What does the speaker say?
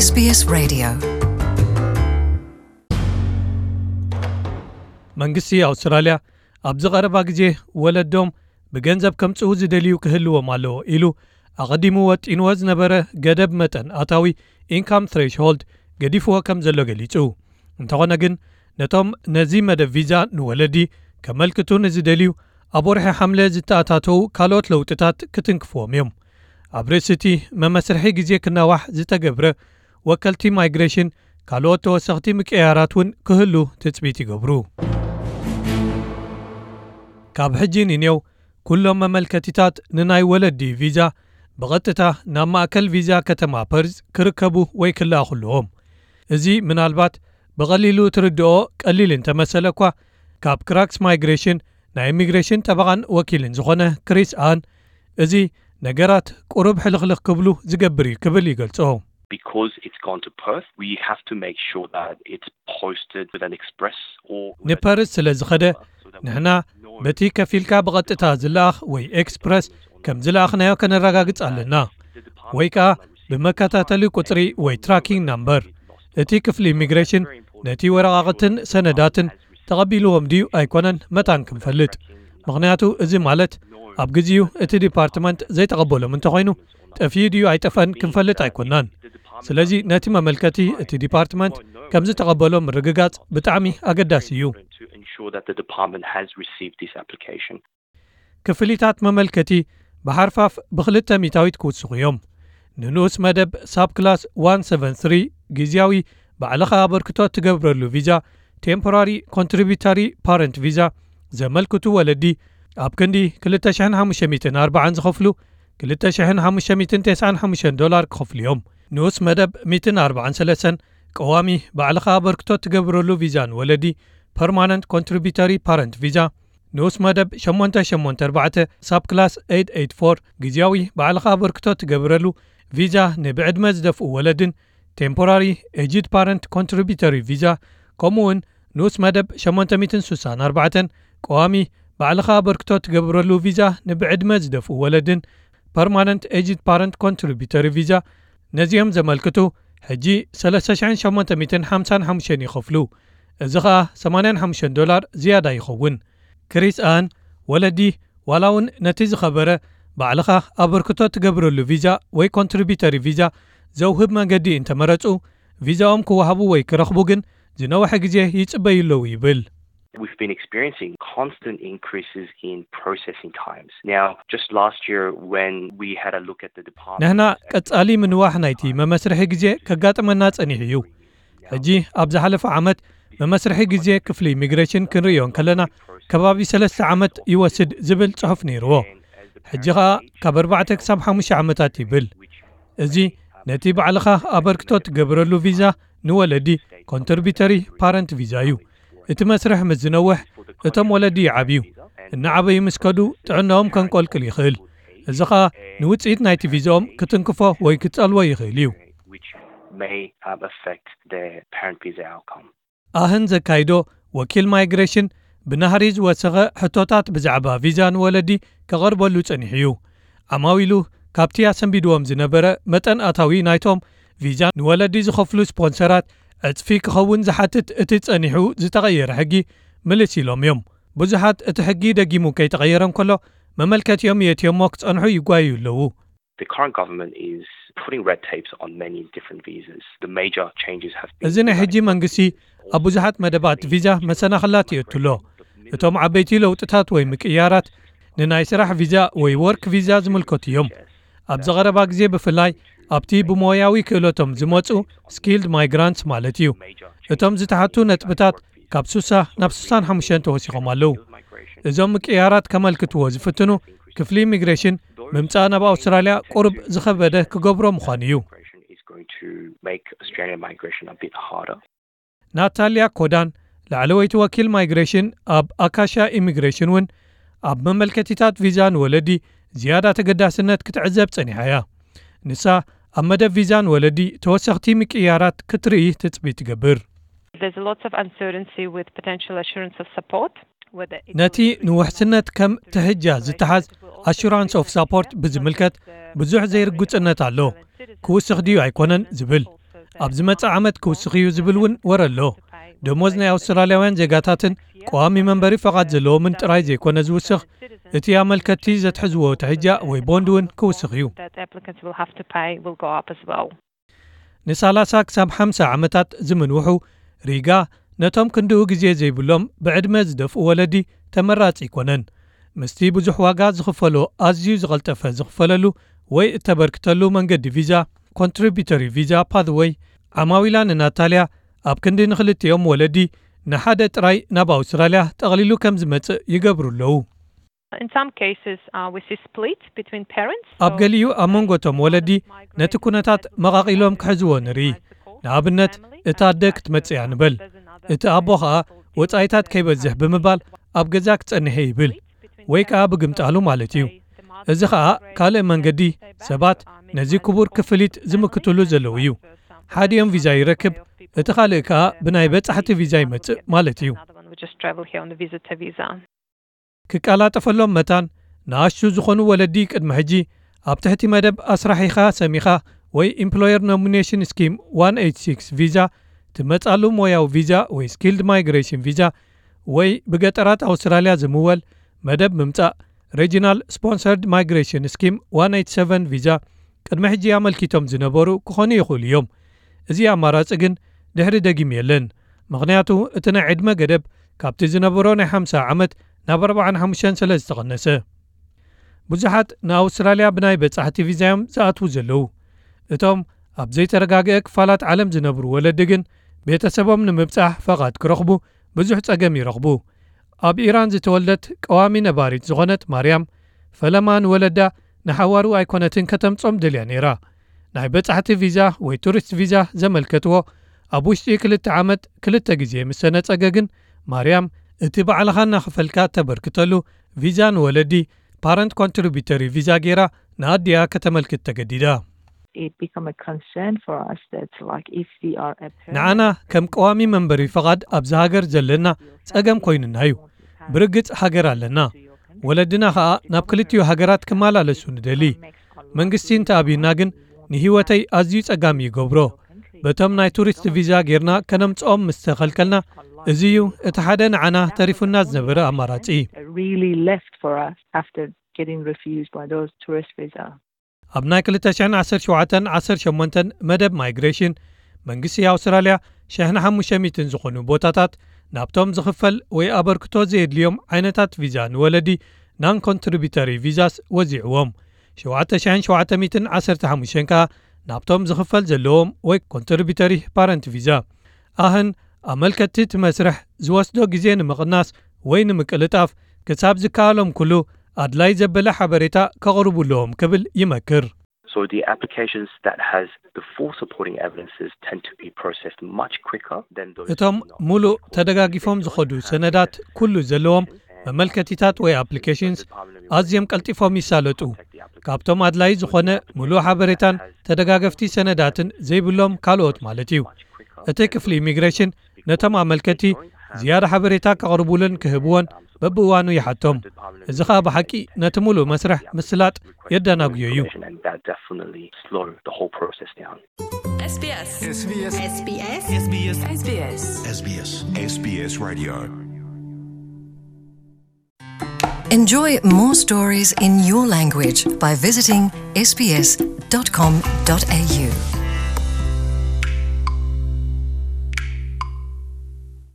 S B S Radio. መንግስቲ ኣውስትራልያ ኣብዚ ቀረባ ግዜ ወለዶም ብገንዘብ ከምጽኡ ዝደልዩ ክህልዎም ኣለዎ ኢሉ ኣቐዲሙ ወጢንዎ ዝነበረ ገደብ መጠን ኣታዊ፣ income threshold፣ ገዲፍዎ ከም ዘሎ ገሊጹ። እንተኾነ ግን ነቶም ነዚ መደብ ቪዛ ንወለዲ ከመልክቱ ንዝደልዩ ኣብ ወርሒ ሓምለ ዝተኣታተዉ ካልኦት ለውጥታት ክትንክፍዎም እዮም። ኣብ ርእሲ እቲ መመስርሒ ግዜ ክናዋሕ ዝተገብረ ወከልቲ ማይግሬሽን ካልኦት ተወሰኽቲ ምቅያራት እውን ክህሉ ትጽቢት ይገብሩ። ካብ ሕጂ ንኔው ኩሎም መመልከቲታት ንናይ ወለዲ ቪዛ ብቐጥታ ናብ ማእከል ቪዛ ከተማ ፐርዝ ክርከቡ ወይ ክለኣኹ ኣለዎም። እዚ ምናልባት ብቐሊሉ ትርድኦ ቀሊል እንተመሰለ እኳ፣ ካብ ክራክስ ማይግሬሽን ናይ ኢሚግሬሽን ጠበቓን ወኪልን ዝኾነ ክሪስ ኣን፣ እዚ ነገራት ቁሩብ ሕልኽልኽ ክብሉ ዝገብር እዩ ክብል ይገልጾ። Because it's gone to Perth, we have to make sure that it's posted with an express or ንፐርዝ ስለ ዝኸደ ንሕና በቲ ከፊልካ ብቐጥታ ዝለኣኽ ወይ ኤክስፕረስ ከም ዝለኣኽናዮ ከነረጋግጽ ኣለና፣ ወይ ከኣ ብመከታተሊ ቁጽሪ ወይ ትራኪንግ ናምበር። እቲ ክፍሊ ኢሚግሬሽን ነቲ ወረቓቕትን ሰነዳትን ተቐቢልዎም ድዩ ኣይኮነን መታን ክንፈልጥ። ምኽንያቱ እዚ ማለት ኣብ ግዜኡ እቲ ዲፓርትመንት ዘይተቐበሎም እንተኾይኑ ጠፍዩ ድዩ ኣይጠፍአን ክንፈልጥ ኣይኮናን። ስለዚ ነቲ መመልከቲ እቲ ዲፓርትመንት ከም ዝተቐበሎ ምርግጋጽ ብጣዕሚ ኣገዳሲ እዩ። to ensure that the department has received this application. ክፍሊታት መመልከቲ ብሓርፋፍ ብክልተ ሚታዊት ክውስኹ እዮም። ንንኡስ መደብ ሳብ ክላስ ዋን ሰቨን ስሪ ግዝያዊ ባዕልኻ ኣበርክቶ ትገብረሉ ቪዛ፣ ቴምፖራሪ ኮንትሪቢታሪ ፓረንት ቪዛ ዘመልክቱ ወለዲ ኣብ ክንዲ ክልተ ሽሕን ሓሙሽተ ሚእትን ኣርባዓን ዝኸፍሉ ክልተ ሽሕን ሓሙሽተ ሚእትን ተስዓን ሓሙሽተን ዶላር ክኸፍሉ እዮም። ንኡስ መደብ ሚእትን ኣርባዓን ሰለስተን ቀዋሚ ባዕልኻ ኣበርክቶ ትገብረሉ ቪዛ ንወለዲ፣ ፐርማነንት ኮንትሪቢተሪ ፓረንት ቪዛ፣ ንኡስ መደብ ሸሞንተ ሸሞንተ ኣርባዕተ ሳብ ክላስ ኤይት ኤይት ፎር ግዝያዊ ባዕልኻ ኣበርክቶ ትገብረሉ ቪዛ ንብዕድመ ዝደፍኡ ወለድን ቴምፖራሪ ኤጅድ ፓረንት ኮንትሪቢተሪ ቪዛ፣ ከምኡ እውን ንኡስ መደብ ሸሞንተ ሚእትን ስሳን ኣርባዕተን ቀዋሚ ባዕልኻ ኣበርክቶ ትገብረሉ ቪዛ ንብዕድመ ዝደፍኡ ወለድን ፐርማነንት ኤጅድ ፓረንት ኮንትሪቢተሪ ቪዛ፣ ነዚኦም ዘመልክቱ ሕጂ ሰለስተ ሽሕን ሸሞንተ ሚእትን ሓምሳን ሓሙሽተን ይኸፍሉ። እዚ ኸኣ ሰማንያን ሓሙሽተን ዶላር ዝያዳ ይኸውን። ክሪስ ኣን፣ ወለዲ ዋላ እውን ነቲ ዝኸበረ ባዕልኻ ኣበርክቶ ትገብረሉ ቪዛ ወይ ኮንትሪቢተሪ ቪዛ ዘውህብ መገዲ እንተመረጹ፣ ቪዛኦም ክወሃቡ ወይ ክረኽቡ ግን ዝነውሐ ግዜ ይጽበዩ ኣለዉ ይብል። We've been experiencing constant increases in processing times. Now, just last year when we had a look at the department ንሕና ቀጻሊ ምንዋሕ ናይቲ መመስርሒ ግዜ ከጋጥመና ጸኒሑ እዩ። ሕጂ ኣብ ዝሓለፈ ዓመት መመስርሒ ግዜ ክፍሊ ኢሚግሬሽን ክንርእዮ እንከለና ከባቢ ሰለስተ ዓመት ይወስድ ዝብል ጽሑፍ ነይርዎ። ሕጂ ኸኣ ካብ ኣርባዕተ ክሳብ ሓሙሽተ ዓመታት ይብል። እዚ ነቲ ባዕልኻ ኣበርክቶ ትገብረሉ ቪዛ ንወለዲ ኮንትሪቢተሪ ፓረንት ቪዛ እዩ። እቲ መስርሕ ምስ ዝነውሕ እቶም ወለዲ ይዓብዩ። እናዓበዩ ምስ ከዱ ጥዕናኦም ከንቆልቅል ይኽእል። እዚ ኸኣ ንውጽኢት ናይቲ ቪዛኦም ክትንክፎ ወይ ክጸልዎ ይኽእል እዩ። which may um, affect their parent visa outcome. ኣህን ዘካይዶ ወኪል ማይግሬሽን ብናህሪ ዝወሰኸ ሕቶታት ብዛዕባ ቪዛ ንወለዲ ከቐርበሉ ጸኒሑ እዩ። ዓማዊሉ ካብቲ ኣሰንቢድዎም ዝነበረ መጠን ኣታዊ ናይቶም ቪዛ ንወለዲ ዝኸፍሉ ስፖንሰራት ዕጽፊ ክኸውን ዝሓትት እቲ ጸኒሑ ዝተቐየረ ሕጊ ምልስ ኢሎም እዮም። ብዙሓት እቲ ሕጊ ደጊሙ ከይተቐየረ እንከሎ መመልከቲኦም የእትዮሞ ክጸንሑ ይጓዩ ኣለዉ። The current government is putting red tapes on many different visas. The major changes have been እዚ ናይ ሕጂ መንግስቲ ኣብ ብዙሓት መደባት ቪዛ መሰናኽላት የእትሎ። እቶም ዓበይቲ ለውጥታት ወይ ምቅያራት ንናይ ስራሕ ቪዛ ወይ ወርክ ቪዛ ዝምልከቱ እዮም። ኣብዚ ቀረባ ግዜ ብፍላይ ኣብቲ ብሞያዊ ክእለቶም ዝመጹ ስኪልድ ማይግራንትስ ማለት እዩ። እቶም ዝተሓቱ ነጥብታት ካብ ስሳ ናብ ስሳን ሓሙሽተን ተወሲኾም ኣለዉ። እዞም ምቅያራት ከመልክትዎ ዝፍትኑ ክፍሊ ኢሚግሬሽን ምምጻእ ናብ ኣውስትራልያ ቁሩብ ዝኸበደ ክገብሮ ምዃኑ እዩ። Is going to make Australian migration a bit harder. ናታልያ ኮዳን ላዕለወይቲ ወኪል ማይግሬሽን ኣብ ኣካሻ ኢሚግሬሽን እውን ኣብ መመልከቲታት ቪዛ ንወለዲ ዝያዳ ተገዳስነት ክትዕዘብ ጸኒሓ እያ። ንሳ ኣብ መደብ ቪዛ ንወለዲ ተወሰኽቲ ምቅያራት ክትርኢ ትጽቢት ትገብር። There's lots of uncertainty with potential assurance of support. ነቲ ንውሕስነት ከም ትሕጃ ዝተሓዝ ኣሹራንስ ኦፍ ሳፖርት ብዝምልከት ብዙሕ ዘይርጉጽነት ኣሎ። ክውስኽ ድዩ ኣይኮነን ዝብል ኣብ ዝመጽእ ዓመት ክውስኽ እዩ ዝብል እውን ወረ ኣሎ። ደሞዝ ናይ ኣውስትራልያውያን ዜጋታትን ቀዋሚ መንበሪ ፈቓድ ዘለዎምን ጥራይ ዘይኮነ ዝውስኽ፣ እቲ ኣመልከትቲ ዘትሕዝዎ ትሕጃ ወይ ቦንድ እውን ክውስኽ እዩ። That applicants will have to pay will go up as well. ንሳላሳ ክሳብ ሓምሳ ዓመታት ዝምንውሑ ሪጋ ነቶም ክንድኡ ግዜ ዘይብሎም ብዕድመ ዝደፍኡ ወለዲ ተመራጺ ኣይኮነን። ምስቲ ብዙሕ ዋጋ ዝኽፈሎ ኣዝዩ ዝቐልጠፈ ዝኽፈለሉ ወይ እተበርክተሉ መንገዲ ቪዛ፣ ኮንትሪቢተሪ ቪዛ ፓትወይ፣ ዓማዊላ ንናታልያ ኣብ ክንዲ ንኽልቲኦም ወለዲ ንሓደ ጥራይ ናብ ኣውስትራልያ ጠቕሊሉ ከም ዝመጽእ ይገብሩ ኣለዉ። In some cases, uh, we see split between parents. ኣብ ገሊኡ ኣብ መንጎ እቶም ወለዲ ነቲ ኩነታት መቓቒሎም ክሕዝዎ ንርኢ። ንኣብነት፣ እታ ኣደ ክትመጽእ እያ ንበል፣ እቲ ኣቦ ኸኣ ወጻኢታት ከይበዝሕ ብምባል ኣብ ገዛ ክጸንሕ እየ ይብል፣ ወይ ከኣ ብግምጣሉ ማለት እዩ። እዚ ኸኣ ካልእ መንገዲ ሰባት ነዚ ክቡር ክፍሊት ዝምክትሉ ዘለዉ እዩ። ሓዲኦም ቪዛ ይረክብ፣ እቲ ካልእ ከኣ ብናይ በጻሕቲ ቪዛ ይመጽእ ማለት እዩ። Another one will just travel here on the visitor visa. ክቀላጠፈሎም መታን ንኣሽቱ ዝኾኑ ወለዲ ቅድሚ ሕጂ ኣብ ትሕቲ መደብ ኣስራሒኻ ሰሚኻ ወይ Employer Nomination Scheme one eight six ቪዛ ትመጻሉ ሞያዊ ቪዛ ወይ Skilled Migration ቪዛ ወይ ብገጠራት ኣውስትራልያ ዝምወል መደብ ምምጻእ Regional Sponsored Migration Scheme one eight seven ቪዛ ቅድሚ ሕጂ ኣመልኪቶም ዝነበሩ ክኾኑ ይኽእሉ እዮም። እዚ ኣማራጺ ግን ድሕሪ ደጊም የለን። ምኽንያቱ እቲ ናይ ዕድመ ገደብ ካብቲ ዝነበሮ ናይ ሓምሳ ዓመት ናብ ኣርባዓን ሓሙሽተን ስለ ዝተቐነሰ። ብዙሓት ንኣውስትራልያ ብናይ በጻሕቲ ቪዛ እዮም ዝኣትዉ ዘለዉ። እቶም ኣብ ዘይተረጋግአ ክፋላት ዓለም ዝነብሩ ወለዲ ግን ቤተሰቦም ንምብጻሕ ፈቓድ ክረኽቡ ብዙሕ ጸገም ይረኽቡ። ኣብ ኢራን ዝተወልደት ቀዋሚ ነባሪት ዝኾነት ማርያም፣ ፈለማ ንወለዳ ንሓዋሩ ኣይኮነትን ከተምጾም ደልያ ነይራ። ናይ በጻሕቲ ቪዛ ወይ ቱሪስት ቪዛ ዘመልከትዎ ኣብ ውሽጢ ክልተ ዓመት ክልተ ግዜ ምስ ተነጸገ ግን፣ ማርያም እቲ ባዕልኻ እናኸፈልካ እተበርክተሉ ቪዛ ንወለዲ ፓረንት ኮንትሪቢተሪ ቪዛ ገይራ ንኣዲኣ ከተመልክት ተገዲዳ። It become a concern for us that, like, if we are a parent, ንዓና ከም ቀዋሚ መንበሪ ፈቓድ ኣብዚ ሃገር ዘለና ጸገም ኮይኑና እዩ። ብርግጽ ሃገር ኣለና፣ ወለድና ኸኣ ናብ ክልቲኡ ሃገራት ክመላለሱ ንደሊ። መንግስቲ እንተኣብዩና ግን ንህይወተይ ኣዝዩ ጸጋሚ ይገብሮ። በቶም ናይ ቱሪስት ቪዛ ጌርና ከነምጽኦም ምስ ተኸልከልና፣ እዚ እዩ እቲ ሓደ ንዓና ተሪፉና ዝነበረ ኣማራጺ። Really left for us after getting refused by those tourist visa. ኣብ ናይ ክልተ ሽሕን ዓሰርተ ሸውዓተን ዓሰርተ ሸሞንተን መደብ ማይግሬሽን፣ መንግስቲ ኣውስትራልያ ሽሕን ሓሙሽተ ሚእትን ዝኾኑ ቦታታት ናብቶም ዝኽፈል ወይ ኣበርክቶ ዘየድልዮም ዓይነታት ቪዛ ንወለዲ ናን ኮንትሪቢተሪ ቪዛስ ወዚዕዎም። ሸውዓተ ሽሕን ሸውዓተ ሚእትን ዓሰርተ ሓሙሽተን ከኣ ናብቶም ዝኽፈል ዘለዎም ወይ ኮንትሪቢተሪ ፓረንት ቪዛ። ኣህን ኣመልከትቲ እቲ መስርሕ ዝወስዶ ግዜ ንምቕናስ ወይ ንምቅልጣፍ ክሳብ ዝከኣሎም ኩሉ ኣድላይ ዘበለ ሓበሬታ ከቕርቡ ኣለዎም ክብል ይመክር። So the applications that has the full supporting evidences tend to be processed much quicker than those እቶም ሙሉእ ተደጋጊፎም ዝኸዱ ሰነዳት ኩሉ ዘለዎም መመልከቲታት ወይ ኣፕሊኬሽንስ ኣዝዮም ቀልጢፎም ይሳለጡ። ካብቶም ኣድላይ ዝኾነ ሙሉእ ሓበሬታን ተደጋገፍቲ ሰነዳትን ዘይብሎም ካልኦት ማለት እዩ። እቲ ክፍሊ ኢሚግሬሽን ነቶም ኣመልከቲ ዝያዳ ሓበሬታ ከቕርቡልን ክህብዎን በብእዋኑ ይሓቶም። እዚ ኸኣ ብሓቂ ነቲ ሙሉእ መስርሕ ምስላጥ የደናጉዮ እዩ። And that definitely slow the whole process down. SBS. SBS. SBS. SBS. SBS. SBS. SBS Radio. Enjoy more stories in your language by visiting sbs.com.au.